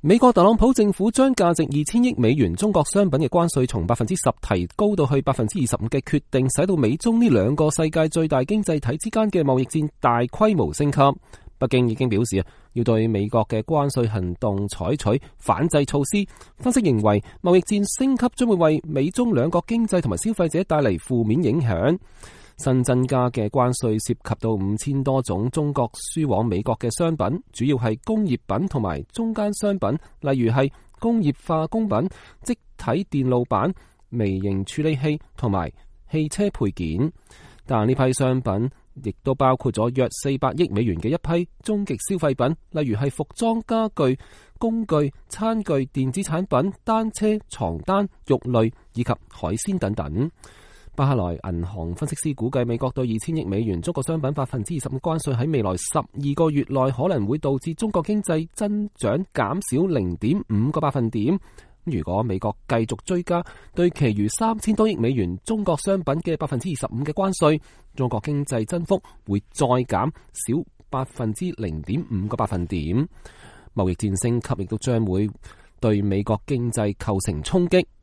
美國特朗普政府將價值2000億美元中國商品嘅關稅從 10% 提高到去 25% 嘅決定，使到美中呢兩個世界最大經濟體之間嘅貿易戰大規模升級。北京已經表示要對美國嘅關稅行動採取反制措施。分析認為，貿易戰升級將會為美中兩國經濟同埋消費者帶嚟負面影響。新增加嘅關稅涉及到5000多種中國輸往美國嘅商品，主要係工業品同埋中間商品，例如係工業化工品、積體電路板、微型處理器同埋汽車配件。但呢批商品亦都包括咗約400億美元嘅一批終極消費品，例如係服裝、家具、工具、餐具、電子產品、單車、床單、肉類以及海鮮等等。巴克萊銀行分析師估計，美國對2000億美元中國商品 20% 嘅關稅喺未來12個月內可能會導致中國經濟增長減少 0.5 個百分點。如果美國繼續追加對其餘3000多億美元中國商品嘅 25% 嘅關稅，中國經濟增幅會再減少 0.5 個百分點。貿易戰升級亦都將會對美國經濟構成衝擊。